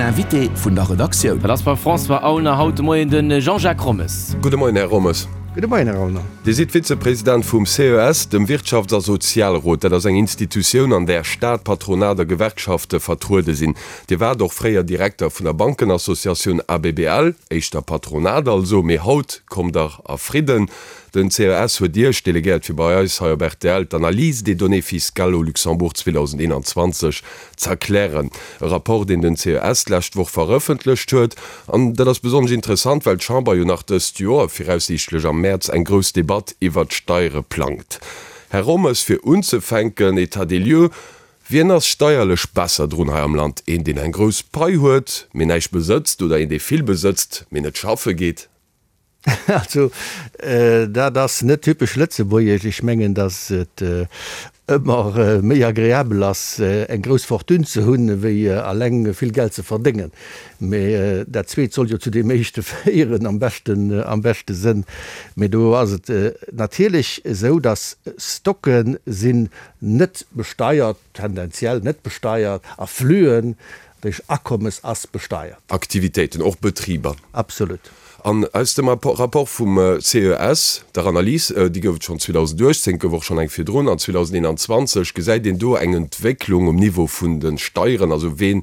Den Invité vun der Redaktioun. Dat ass beim François Aulner haut de Moien de Jean-Jacques Rommes. Gudde Moien, Här Rommes. Gudde Moien, Här Aulner. Dir sidd Vizepresident vum CES, dem Wirtschafts a Sozialrot. Dat ass eng Institutioun, an där Staat, Patronat a Gewerkschafte vertruede sinn. Dir waart och fréier Direkter vun der Bankenassociatioun ABBL, éischter Patronat also, mee haut kommt Der a Fridden. Den CES huet Iech delegéiert fir bei eis hei op rtl d'Analyse des données fiscales au Luxembourg 2021 z'erklären. E Rapport deen den CES d'lescht Woch verëffentlecht huet. An dat ass besonnesch interessant, well d'Chamber jo nach dëst Joer, viraussiichtlech am Mäerz, eng grouss Debatt iwwert d'Steiere plangt. Här Rommes, fir unzefänken, État des lieux, Wien ass steierlech besser drun hei am Land? Een deen eng grouss Pai huet, mee näischt besëtzt, oder een dee vill besëtzt, mee net schaffe geet? Also, dat ass net typesch lëtzebuergesch. Ech mengen, datt et ëmmer méi agreabel ass, eng grouss Fortune ze hunn, wéi eleng vill Geld ze verdéngen. Mee dat Zweet soll jo zu deem Éischte féieren, am beschten, am beschte Sënn. Mee do ass et natierlech esou, datt Stocke sinn net besteiert, tendenziell net besteiert, a Fluen, Dech Akommes ass besteiert. Aktivitéiten, och Betriber. Absolut. An aus dem Rapport vum CES, der Analys, déi gouf et schonn 2018, gouf och schonn eng virdrun, an 2021, gesäit een do eng Entwécklung um Niveau vun de Steieren, also ween,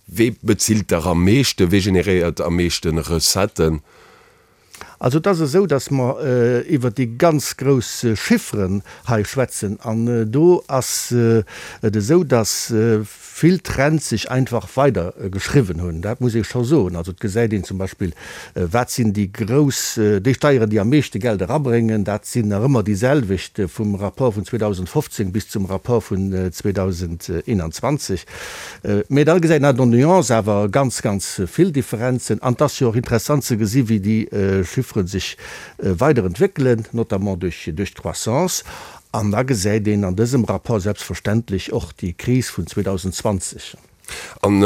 wee bezilt der am meeschten, wee generéiert am meeschten Recetten? Also et ass esou, datt mer iwwert déi ganz grouss Chifferen hei schwätzen an do ass et esou, datt vill Trends sech einfach weider geschriwwen hunn. Dat muss ee scho soen. Also et gesäit een zum Beispill, wat sinn déi grouss, déi Steieren, déi am meeschte Geld erabréngen, dat sinn nach ëmmer déi selwecht vum Rapport vun 2015 bis zum Rapport vun 2021. Mä da gesäit een an der Nuance awer ganz, ganz vill Differenzen. An et ass jo och interessant ze gesi wéi déi Chiffere sech weider entwéckelen, notamment duerch d'Croissance. An da gesäit een an dësem Rapport selbstverständlech och déi Kris vun 2020. An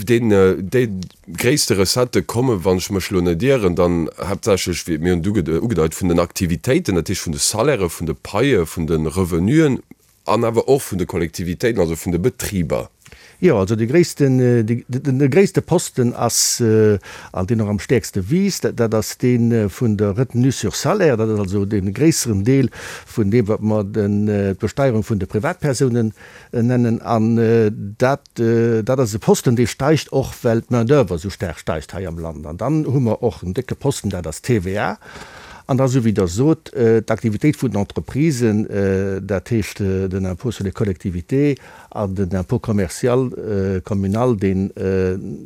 deen, déi gréisste Recettë kommen, wann ech mech elo net ieren, dann haaptsächlech, wéi mir hunn et ugedeit, vun den Aktivitéiten, dat heescht vun de Salairë, vun de Paie, vun de Revenuen. An awer och vun de Kollektivitéiten, also vun de Betriber. Jo, also de gréissten, de gréisste Posten ass, an deen och am stäerkste wiisst, dat ass dee vun der Retenue sur salaire. Dat ass also dee gréisseren Deel vun deem, wat mer d'Besteierung vun de Privatpersounen nennen. An dat, dat ass e Posten, dee steigt och, well d'Main-d'oeuvre esou staark steigt hei am Land. An dann hu mer och en décke Posten, dat ass d'TVA. An da, esou wéi Der sot, d'Aktivitéit vun den Entreprisen, dat heescht den Impôt sur les collectivités an den Impôt commercial communal, deen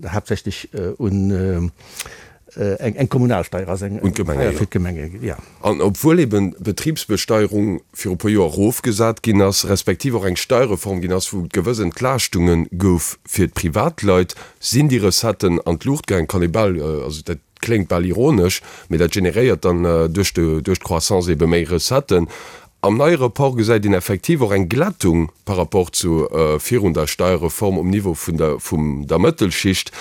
haaptsächlech un eng Kommunalsteier ass, eng Steier fir d'Gemenge, jo. An obwuel eben d'Betribsbesteierung viru e puer Joer erofgesat ginn ass, respektiv och eng Steierreform ginn ass, wou et gewëss Entlaaschtunge gouf fir d'Privatleit, sinn déi Recetten an d'Luucht gaangen. Kann ee bal, also dat Kléngt bal ironesch, mee dat generéiert dann duerch d'Croissance ebe méi Recetten. Am neie Rapport gesäit een effektiv och eng Glättung par rapport zu virun der Steierreform um Niveau vun der vum der Mëttelschicht.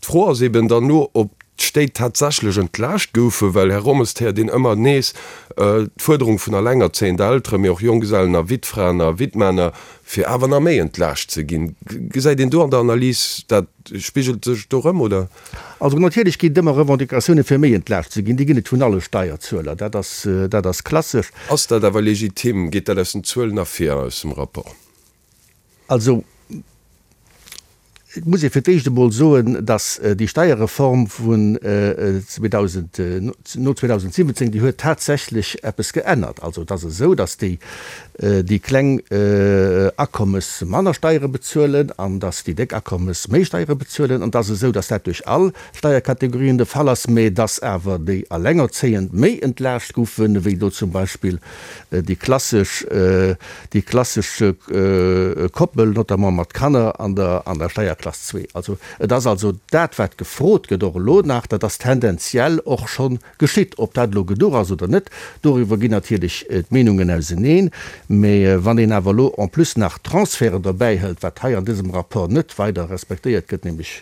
D'Fro ass eben dann elo, ob d'Stéit tatsächlech entlaascht goufen, well, Här Rommes, et héiert een ëmmer nees d'Fuerderung vun allengerzéiend Elteren, mee och Jonggesellen a Wittfraen a Wittmänner, fir awer nach méi entlaascht ze ginn. Gesäit een do an der Analys dat, spigelt sech do erëm, oder? Also natierlech ginn et ëmmer Revendicatioune fir méi entlaascht ze ginn. Déi ginn et vun alle Steierzueler, dat ass, dat ass klassesch. Ass dat awer legitim? Geet dat aus den Zuelen ervir, aus dem Rapport? Also et muss ee fir d'éischt emol soen, datt déi Steierreform vun 2000, no 2017, déi huet tatsächlech eppes geännert. Also et ass esou, datt déi déi kleng Akommes manner Steiere bezuelen an dass déi déck Akommes méi Steiere bezuelen. An et ass esou, dass dat duerch all Steierkategorien de Fall ass, mä dass awer déi Allengerzéiend méi entlaascht goufen, wéi do zum Beispill déi klassesch, déi klassesch Koppel, notamment mat Kanner an der, an der Steierklass zwee. Also et ass also dat, wat gefrot gëtt, och elo nach, dat ass tendenziell och schonn Geschitt. Ob dat elo geduch ass oder net, doriwwer ginn natierlech d'Meenungen auseneen. Mä wann een awer elo en plus nach d'Transferten derbäi hëlt, wat hei an dësem Rapport net weider respektéiert gëtt, nämlech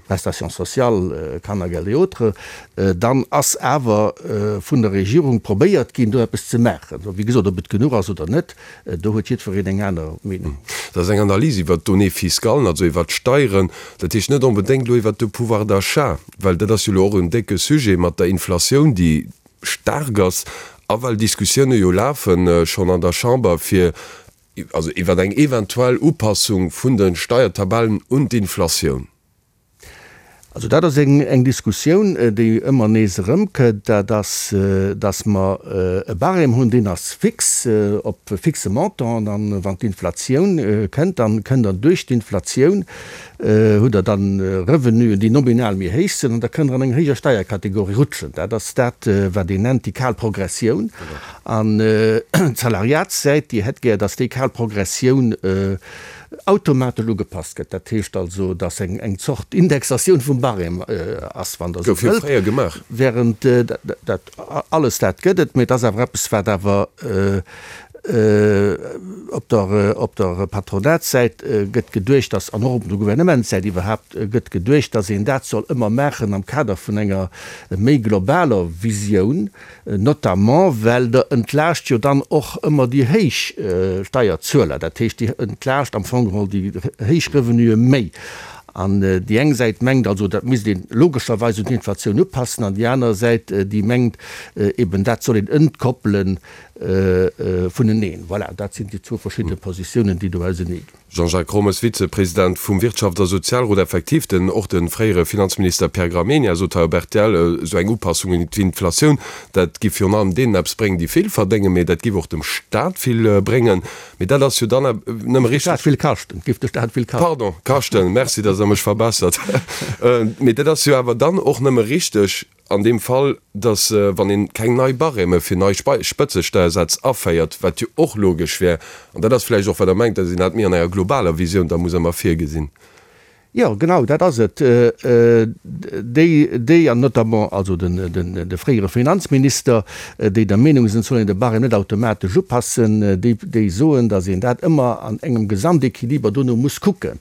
Prestations sociales, Kannergeld et autres, dann ass awer vun der Regierung probéiert ginn, do eppes ze maachen. Wéi gesot, ob et genuch ass oder net, Do huet jiddwereen eng aner Meenung. Dat ass eng Analys iwwert d'Données fiscales, also iwwert. Steieren, dat heescht net onbedéngt elo iwwert de Pouvoir d'achat, well dat ass jo elo och en décke Sujet mat der Inflatioun, déi staark ass, a well Diskussioune jo lafe schonn an der Chamber fir, also iwwert eng eventuell Upassung vun de Steiertabellen un d'Inflatioun. Also dat ass eng Diskussioun, déi ëmmer nees erëmkënnt, dat ass, datt mer e Barème hunn, deen ass fix, op e fixe Montant, an wann d'Inflatioun kënnt, dann kënnt Der duerch d'Inflatioun, hutt Der dann Revenuen, déi nominal méi héich sinn, an da kënnt Der an eng héijer Steierkategorie rutschen. Dat ass dat, wat een nennt déi kal Progressioun. An d'Salariatssäit, déi hätt gär, datt déi kal Progressioun automatesch ugepasst gëtt. Dat heescht also, datt eng Zort Indexatioun vum Barème ass, wann Der esou Gouf jo wëllt. fréier gemaach. Während dat alles, dat gëtt et, mee et ass awer eppes, wat awer op der, op der Patronatssäit gëtt geduecht, datt, an och op der Gouvernementssäit iwwerhaapt gëtt geduecht, datt een dat soll ëmmer maachen am Kader vun enger méi globaler Visioun, Notamment well Der entlaascht jo dann och ëmmer déi héich Steierzueler, dat heescht, Dir entlaascht am Fong geholl déi héich Revenuë méi. An déi eng Säit mengt also, dat misst ee logescherweis un d'Inflatioun upassen, an déi aner Säit, déi mengt eben, dat soll een entkoppele vuneneen. Voilà, dat sinn déi zwou verschidde Positiounen, déi do ausenee ginn. Jean-Jacques Rommes, Vizepresident vum Wirtschafts a Sozialrot, Effektiv, den och de fréiere Finanzminister Pierre Gramegna sot hei op rtl, esou eng Upassung un d'Inflatioun, dat giff virun allem deenen eppes bréngen, déi vill verdéngen, mee dat giff och dem Staat vill bréngen. Mee dat ass jo dann nëmme richteg. Dem Staat vill kaschten, giff de Staat vill kaschten. Pardon, kaschten, merci, datt Der mech verbessert. Mee dat ass jo awer dann och nëmme richteg, An deem Fall, datt wann een keng nei Barème fir nei Spëtzesteiersätz aféiert, wat jo och logesch wär, an dat ass vläicht och wat Der mengt, datt een dat méi an enger globaler Visioun da muss ëmmer virgesinn. Jo, genau dat ass et. Déi, déi, an notamment also de fréiere Finanzminister, déi der Meenung sinn, et soll een de Barème net automatesch upassen, déi, déi soen, datt een dat ëmmer an engem Gesamtequiliber dono muss kucken.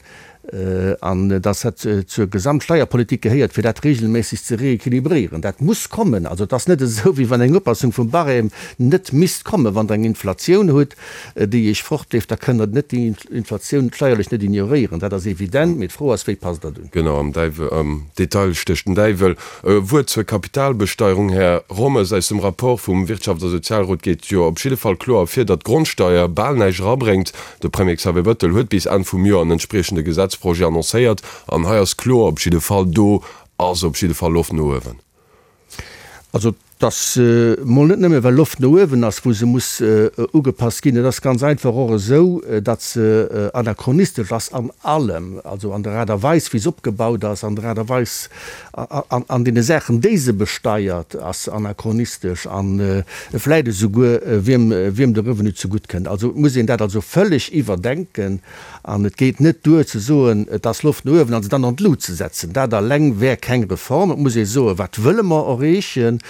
An dass dat zur Gesamtsteierpolitik gehéiert, fir dat regelméisseg ze rééquilibréieren. Dat muss kommen. Also et ass net esou, wéi wann eng Upassung vum Barème net misst kommen. Wann Der eng Inflatioun hutt, déi Iech fortleeft, da kënnt Der net déi Inflatioun steierlech net ignoréieren. Dat ass evident. Mee d'Fro ass, Wéi passt Der dat un? Genau, am Däiwel, am Detail stécht den Däiwel. E Wuert zur Kapitalbesteierung, Här Rommes. Aus dem Rapport vum Wirtschafts a Sozialrot geet jo op jidde Fall kloer ervir, datt d'Grondsteier bal näischt erabréngt. De Premier Xavier Bettel huet bis Enn vum Joer en entspriechende Gesetzprojet annoncéiert. An hei ass kloer op jidde Fall, do ass op jidde Fall Loft no uewen. Also et ass mol net nëmme well Loft no uewen ass, wou se muss ugepasst ginn. Et ass ganz einfach och esou, datt se anachronistesch ass an allem, also an der Aart a Weis wéi se opgebaut ass, an der Aart a Weis, An deene Saachen, déi se besteiert, ass se anachronistesch a vläit esouguer, wiem wiem de Revenu zegutt kënnt. Also et muss een dat also vëlleg iwwerdenken an et geet net duer ze soen, et ass Loft no uewen an se dann an d'Lut ze setzen. Dat alleng wär keng Reform. Et muss ee soen, wat wëlle mer erreechen?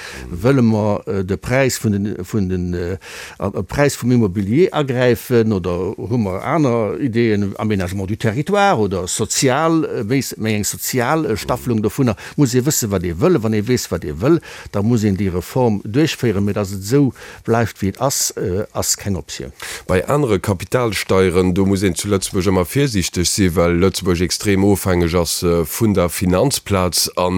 Wëlle mer de Präis vun den vun den an de Präis vum Immobilier agräifen oder hu mer aner Ideeën, Aménagement du territoire oder sozial, méi eng sozial Staffelung dovunner, muss ee wëssen, wat ee wëll. Wann ee weess, wat ee wëll, da muss een déi Reform duerchféieren. Mee datt et esou bleift, wéi et ass, ass keng Optioun. Bei anere Kapitalsteieren, do muss een zu Lëtzebuerg ëmmer virsiichteg sinn, well Lëtzebuerg extrem ofhängeg ass vun der Finanzplaz. An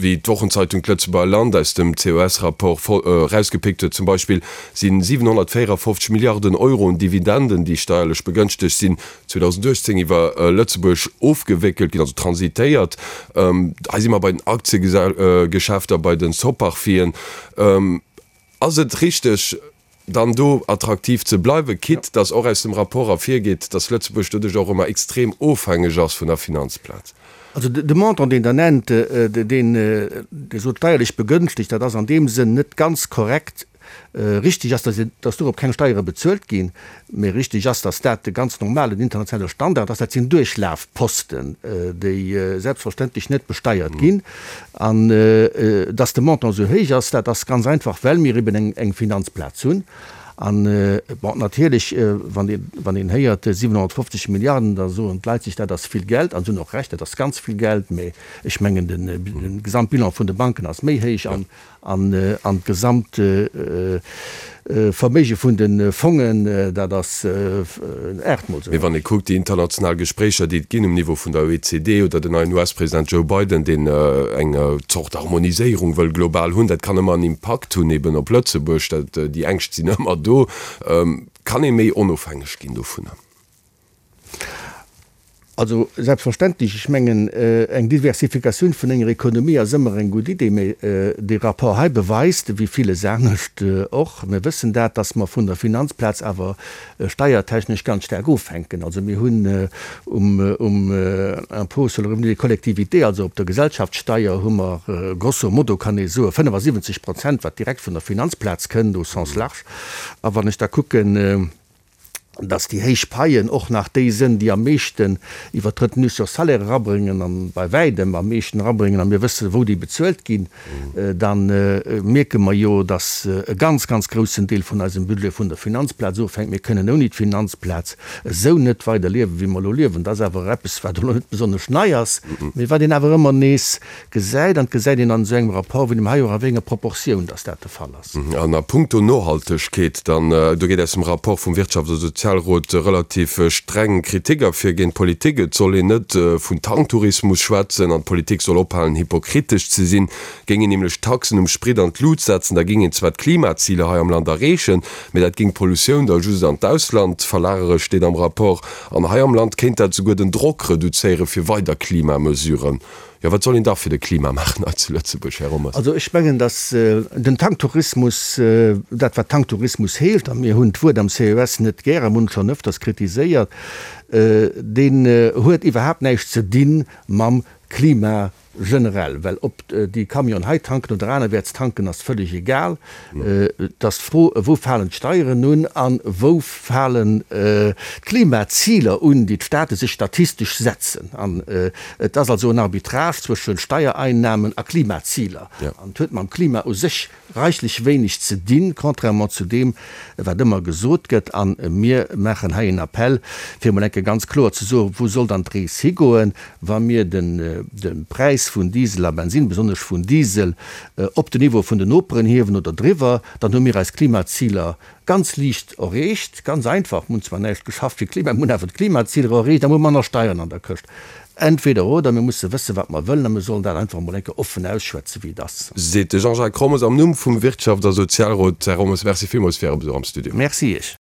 wéi d'Wochenzeitung D'Lëtzebuerger Land aus dem COS-Rapport erausgepickt huet zum Beispill, si 754 Milliarden Euro un Dividenden, déi steierlech begënschtegt sinn, 2018 iwwer Lëtzebuerg ofgewéckelt ginn, also transitéiert. Hei si mer bei den Aktiegeschäfter, bei de Soparfien. Ass et richteg, dann do attraktiv ze bleiwen, quitte dass och aus dem Rapport ervirgeet, dass Lëtzebuerg doduerch och ëmmer extrem ofhängeg ass vun der Finanzplaz? Also de Montant, deen Der nennt, deen Dir sot steierlech begënschtegt, dat ass an deem Sënn net ganz korrekt. Richtig ass, dass dorop keng Steiere bezuelt ginn. Mee richtig ass, dass dat de ganz normalen internationale Standard ass. Dat sinn Duerchlafposten, déi selbstverständlech net besteiert ginn. An dass de Montant esou héich ass, dat ass ganz einfach, well mir eben eng Finanzplaz hunn. An, bon, natierlech, wann een, wann een héiert 750 Milliarden, da soen d'Leit sech, dat ass vill Geld. An se hunn och Recht, dat ass ganz vill Geld. Mä ech mengen, de Gesamtbilan vun de Banken ass méi héich an, an d'gesamt Verméige vun de Fongen, dat ass aachtmol esou Mee wann ee kuckt déi international Gespréicher, déi et ginn um Niveau vun der OECD oder den neien US-President Joe Biden, deen eng Zort Harmoniséierung wëll global hunn, dat kann ëmmer en Impakt hunn eben op Lëtzebuerg. Dat, déi Ängscht sinn ëmmer do. Kann ee méi onofhängeg ginn dovunner? Also selbstverständlech, ech mengen, eng Diversifikatioun vun enger Ekonomie ass ëmmer eng gutt Idee, mä dee Rapport hei beweist, wéi villes anescht och, mir wëssen dat, dass mer vun der Finanzplaz awer steiertechnesch ganz staark ofhänken. Also mir hunn um Impôt sur le revenu des collectivités, also op der Gesellschaftssteier, hu mer grosso modo, kann ee soen, 75 Prozent, wat direkt vun der Finanzplaz kënnt, au sens large. A wann ech da kucken, dass déi héich Paien och nach déi sënn, déi am meeschten iwwert d'Retenue sur salaire erabréngen an bei wäitem am meeschten erabréngen, a mir wëssen, wou déi bezuelt ginn, da mierke mer jo, dass e ganz, ganz groussen Deel vun eisem Budget vun der Finanzplaz ofhänkt. Mir kënnen ouni d'Finanzplaz esou net weider liewen, wéi mer elo liewen. Dat ass awer eppes, wat elo net besonnesch nei ass, mee wat een awer ëmmer nees gesäit, an et gesäit een an esou engem Rapport wéi deem hei och, a wéi enger Proportioun dass dat de Fall ass. An a puncto Nohaltegkeet dann, do geet aus dem Rapport vum Wirtschafts a Sozialrot relativ streng Kritik ervir géint d'Politik. Et soll een net vun Tanktourismus schwätzen an d'Politik soll ophalen hypokritesch ze sinn. Géing een nämlech d'Taxen um Sprit an d'Lut setzen, da géing een zwar d'Klimaziler hei am Land erreechen, mee dat géing d'Pollutioun da just an d'Ausland verlagere, steet am Rapport. An hei am Land kéint dat souguer den Drock reduzéiere fir weider Klimamesuren. Jo, wat soll een da fir de Klima maachen hei zu Lëtzebuerg, Här Rommers? Also ech mengen, datt den Tanktourismus, dat wat Tanktourismus heescht, a mir hunn d'Wuert am CES net gär a mir hunn et schonn ëfters kritiséiert, deen huet iwwerhaapt näischt ze di mam Klima generell. Well ob déi Camionen hei tanken oder anerwäerts tanken, ass vëlleg egal. Et ass d'Fro, wou falen d'Steieren un a wou falen d'Klimaziler un, déi d'Staate sech statistesch setzen. An et ass also en Arbitrage zwësche Steiereinnahmen a Klimaziler. An et huet mam Klima u sech reichlech wéineg ze dinn, contrairement zu deem, wat ëmmer gesot gëtt. A mir maachen hei en Appell, fir emol eng Kéier ganz kloer ze soen, Wou soll dann d'Rees higoen, wa mir de Präis vun Diesel a Bensin, besonnesch vun Diesel, op den Niveau vun den Noperen hiewen oder driwwer, dann hu mir eis Klimaziler ganz liicht erreecht, ganz einfach. Mir hunn zwar näischt geschafft fir d'Klima, mir hunn awer d'Klimaziler erreecht a mir hu manner Steieren an der Këscht. Entweder oder, mir musse wëssen, wat mer wëllen a mir sollen dat einfach emol eng Kéier offen ausschwätzen, wéi et ass. Seet de Jean-Jacques Rommes am Numm vum Wirtschafts a Sozialrot. Här Rommes, Merci villmools fir Äre Besuch am Studio. Merci Iech.